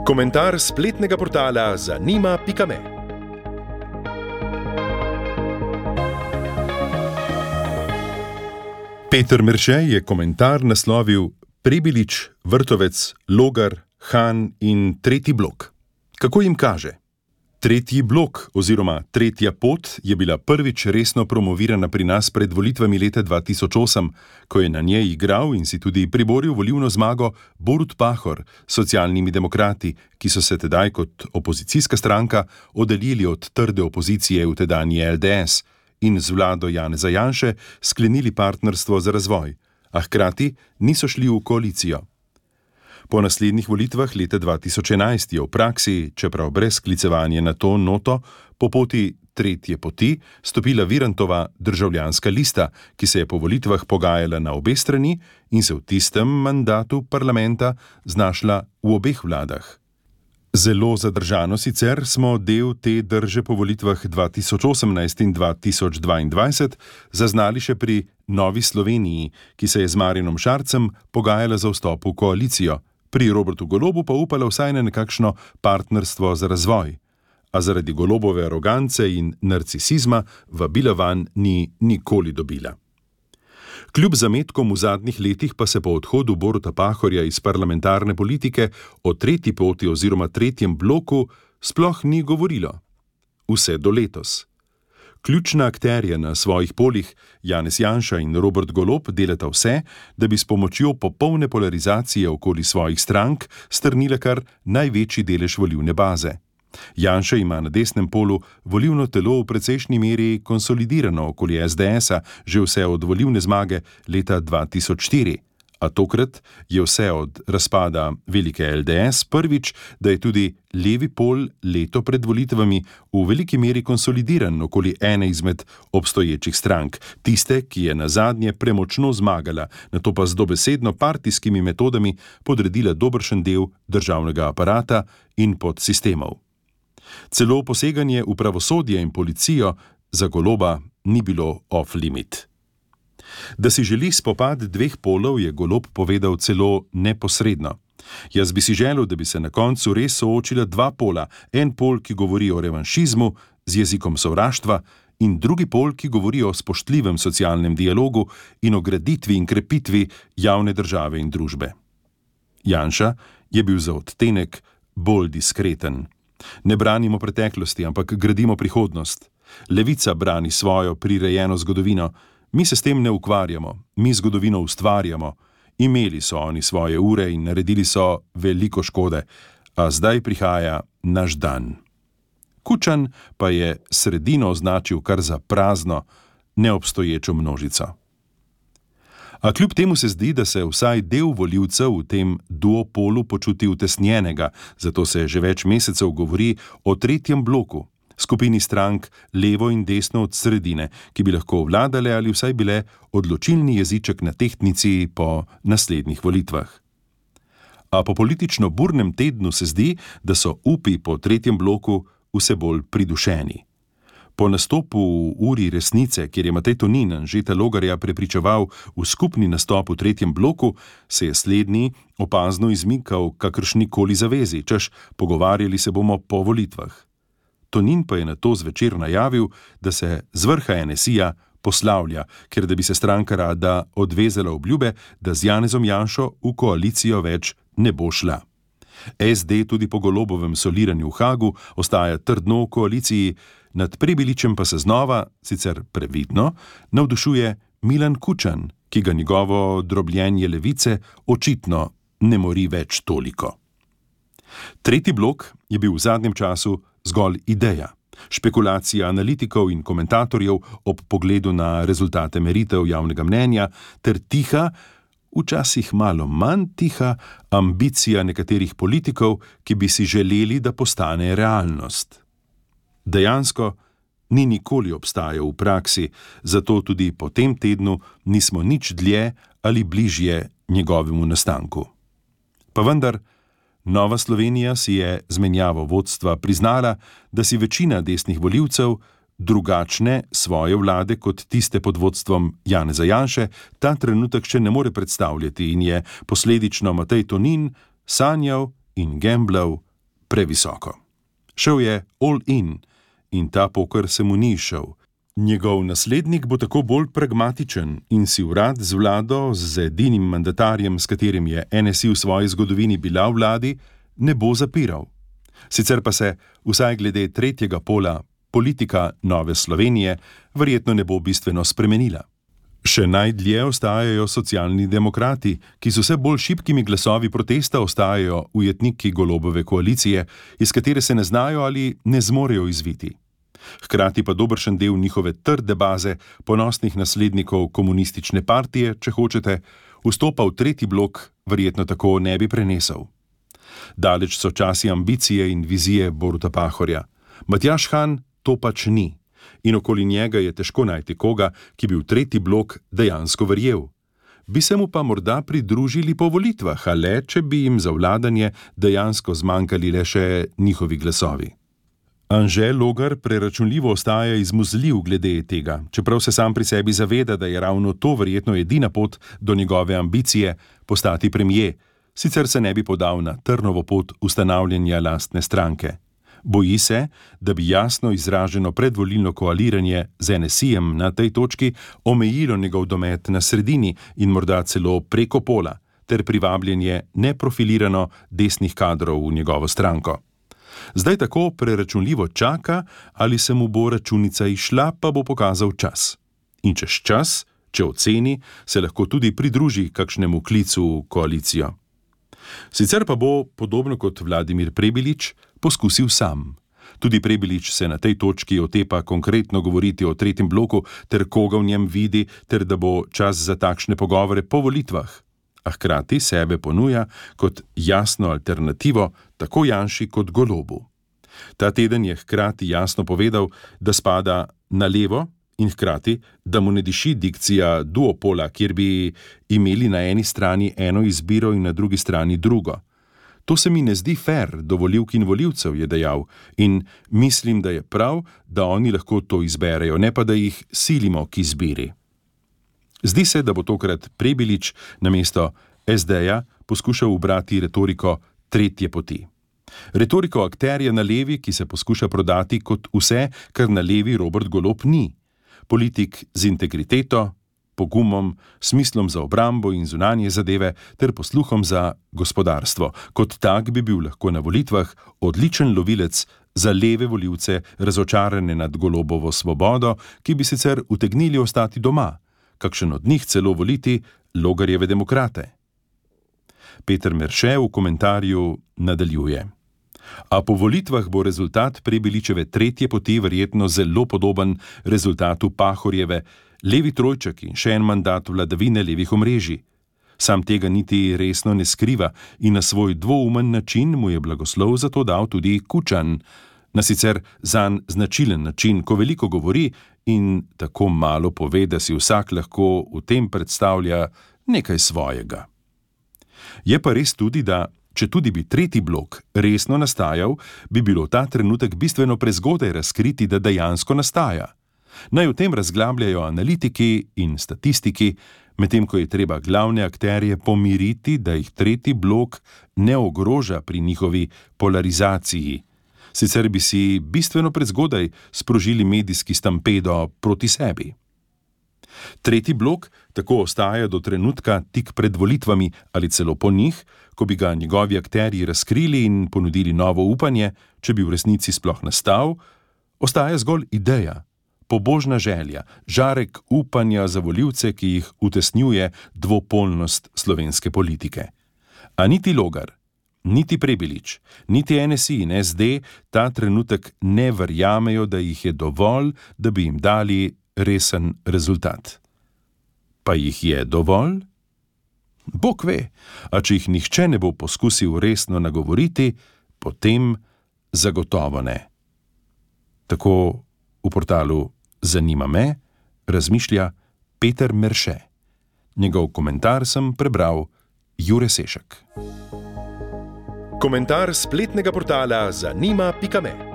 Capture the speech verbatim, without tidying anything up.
Komentar spletnega portala zanima pika me. Peter Merše je komentar naslovil Prebilič, Vrtovec, Logar, Han in tretji blok. Kako jim kaže? Tretji blok oziroma tretja pot je bila prvič resno promovirana pri nas pred volitvami leta dva tisoč osem, ko je na njej igral in si tudi priboril volilno zmago Borut Pahor s Socialnimi demokrati, ki so se tedaj kot opozicijska stranka oddaljili od trde opozicije v tedanji L D S in z vlado Janeza Janše sklenili partnerstvo za razvoj, a hkrati niso šli v koalicijo. Po naslednjih volitvah leta dva tisoč enajst je v praksi, čeprav brez sklicevanja na to noto, po poti tretje poti stopila Virantova Državljanska lista, ki se je po volitvah pogajala na obe strani in se v tistem mandatu parlamenta znašla v obeh vladah. Zelo zadržano sicer smo del te drže po volitvah dva tisoč osemnajst in dva tisoč dvaindvajset zaznali še pri Novi Sloveniji, ki se je z Marjanom Šarcem pogajala za vstop v koalicijo, pri Robertu Golobu pa upala vsaj na nekakšno partnerstvo za razvoj, a zaradi Golobove arogance in narcisizma vabila vanj ni nikoli dobila. Kljub zametkom v zadnjih letih pa se po odhodu Boruta Pahorja iz parlamentarne politike o tretji poti oziroma tretjem bloku sploh ni govorilo. Vse do letos. Ključna akterja na svojih polih, Janez Janša in Robert Golob, delata vse, da bi s pomočjo popolne polarizacije okoli svojih strank strnile kar največji delež volilne baze. Janša ima na desnem polu volilno telo v precejšnji meri konsolidirano okoli S D S-a že vse od volilne zmage leta dva tisoč štiri, a tokrat je vse od razpada velike L D S prvič, da je tudi levi pol leto pred volitvami v veliki meri konsolidiran okoli ene izmed obstoječih strank, tiste, ki je nazadnje premočno zmagala, nato pa z dobesedno partijskimi metodami podredila dobršen del državnega aparata in podsistemov. Celo poseganje v pravosodje in policijo za Goloba ni bilo off-limit. Da si želi spopad dveh polov, je Golob povedal celo neposredno. Jaz bi si želel, da bi se na koncu res soočila dva pola, en pol, ki govori o revanšizmu z jezikom sovraštva, in drugi pol, ki govori o spoštljivem socialnem dialogu in o graditvi in krepitvi javne države in družbe. Janša je bil za odtenek bolj diskreten. Ne branimo preteklosti, ampak gradimo prihodnost. Levica brani svojo prirejeno zgodovino. Mi se s tem ne ukvarjamo, mi zgodovino ustvarjamo. Imeli so oni svoje ure in naredili so veliko škode, a zdaj prihaja naš dan. Kučan pa je sredino označil kar za prazno, neobstoječo množico. A kljub temu se zdi, da se vsaj del volivcev v tem duopolu počuti utesnjenega, zato se že več mesecev govori o tretjem bloku, skupini strank levo in desno od sredine, ki bi lahko vladale ali vsaj bile odločilni jeziček na tehtnici po naslednjih volitvah. A po politično burnem tednu se zdi, da so upi po tretjem bloku vse bolj pridušeni. Po nastopu v Uri resnice, kjer je Matej Tonin Anžeta Logarja prepričeval v skupni nastop v tretjem bloku, se je slednji opazno izmikal kakršnikoli zavezi, češ pogovarjali se bomo po volitvah. Tonin pa je nato zvečer najavil, da se z vrha N S I-ja poslavlja, ker da bi se stranka rada odvezala obljube, da z Janezom Janšo v koalicijo več ne bo šla. S D tudi po Golobovem soliranju v Hagu ostaja trdno v koaliciji, nad Prebiličem pa se znova, sicer previdno, navdušuje Milan Kučan, ki ga njegovo drobljenje levice očitno ne mori več toliko. Tretji blok je bil v zadnjem času zgolj ideja, špekulacija analitikov in komentatorjev ob pogledu na rezultate meritev javnega mnenja ter tiha, včasih malo manj tiha, ambicija nekaterih politikov, ki bi si želeli, da postane realnost. Dejansko ni nikoli obstajal v praksi, zato tudi po tem tednu nismo nič dlje ali bližje njegovemu nastanku. Pa vendar, Nova Slovenija si je z menjavo vodstva priznala, da si večina desnih volivcev drugačne svoje vlade kot tiste pod vodstvom Janeza Janše ta trenutek še ne more predstavljati in je posledično Matej Tonin sanjal in gemblal previsoko. Šel je all in in ta poker se mu ni šel. Njegov naslednik bo tako bolj pragmatičen in si urad z vlado, z edinim mandatarjem, s katerim je N S I v svoji zgodovini bila v vladi, ne bo zapiral. Sicer pa se, vsaj glede tretjega pola, politika Nove Slovenije verjetno ne bo bistveno spremenila. Še najdlje ostajajo socialni demokrati, ki z vse bolj šibkimi glasovi protesta ostajajo ujetniki Golobove koalicije, iz katere se ne znajo ali ne zmorejo izviti. Hkrati pa dobršen del njihove trde baze, ponosnih naslednikov komunistične partije, če hočete, vstopa v tretji blok verjetno tako ne bi prenesel. Daleč so časi ambicije in vizije Boruta Pahorja. Matjaž Han to pač ni. In okoli njega je težko najti koga, ki bi v tretji blok dejansko verjel. Bi se mu pa morda pridružili po volitvah, a le, če bi jim za vladanje dejansko zmanjkali le še njihovi glasovi. Anže Logar preračunljivo ostaja izmuzljiv glede tega, čeprav se sam pri sebi zaveda, da je ravno to verjetno edina pot do njegove ambicije postati premier, sicer se ne bi podal na trnovo pot ustanavljanja lastne stranke. Boji se, da bi jasno izraženo predvolilno koaliranje z N S I-jem na tej točki omejilo njegov domet na sredini in morda celo preko pola, ter privabljenje neprofilirano desnih kadrov v njegovo stranko. Zdaj tako preračunljivo čaka, ali se mu bo računica izšla, pa bo pokazal čas. In čez čas, če oceni, se lahko tudi pridruži kakšnemu klicu v koalicijo. Sicer pa bo, podobno kot Vladimir Prebilič, poskusil sam. Tudi Prebilič se na tej točki otepa konkretno govoriti o tretjem bloku, ter koga v njem vidi, ter da bo čas za takšne pogovore po volitvah. A hkrati sebe ponuja kot jasno alternativo tako Janši kot Golobu. Ta teden je hkrati jasno povedal, da spada na levo in hkrati, da mu ne diši dikcija duopola, kjer bi imeli na eni strani eno izbiro in na drugi strani drugo. To se mi ne zdi fair do volivk in volivcev, je dejal, in mislim, da je prav, da oni lahko to izberejo, ne pa da jih silimo k izbiri. Zdi se, da bo tokrat Prebilič namesto S D-ja poskušal ubrati retoriko tretje poti. Retoriko akterja na levi, ki se poskuša prodati kot vse, kar na levi Robert Golob ni. Politik z integriteto, pogumom, smislom za obrambo in zunanje zadeve ter posluhom za gospodarstvo. Kot tak bi bil lahko na volitvah odličen lovilec za leve volivce, razočarane nad Golobovo svobodo, ki bi sicer utegnili ostati doma, kakšen od njih celo voliti Logarjeve demokrate. Peter Merše v komentarju nadaljuje. A po volitvah bo rezultat Prebiličeve tretje poti verjetno zelo podoben rezultatu Pahorjeve, levi trojček in še en mandat vladavine levih omrežij. Sam tega niti resno ne skriva in na svoj dvoumen način mu je blagoslov za to dal tudi Kučan, na sicer zanj značilen način, ko veliko govori in tako malo pove, da si vsak lahko v tem predstavlja nekaj svojega. Je pa res tudi, da če tudi bi tretji blok resno nastajal, bi bilo ta trenutek bistveno prezgodaj razkriti, da dejansko nastaja. Naj o tem razglabljajo analitiki in statistiki, medtem ko je treba glavne akterje pomiriti, da jih tretji blok ne ogroža pri njihovi polarizaciji. Sicer bi si bistveno prezgodaj sprožili medijski stampedo proti sebi. Tretji blok tako ostaja do trenutka tik pred volitvami ali celo po njih, ko bi ga njegovi akterji razkrili in ponudili novo upanje, če bi v resnici sploh nastal, ostaja zgolj ideja, pobožna želja, žarek upanja za volivce, ki jih utesnjuje dvopolnost slovenske politike. A niti Logar, niti Prebilič, niti N S I in S D ta trenutek ne verjamejo, da jih je dovolj, da bi jim dali resen rezultat. Pa jih je dovolj? Bog ve, a če jih nihče ne bo poskusil resno nagovoriti, potem zagotovo ne. Tako v portalu Zanima me razmišlja Peter Merše. Njegov komentar sem prebral Jure Sešek. Komentar spletnega portala zanima pika me.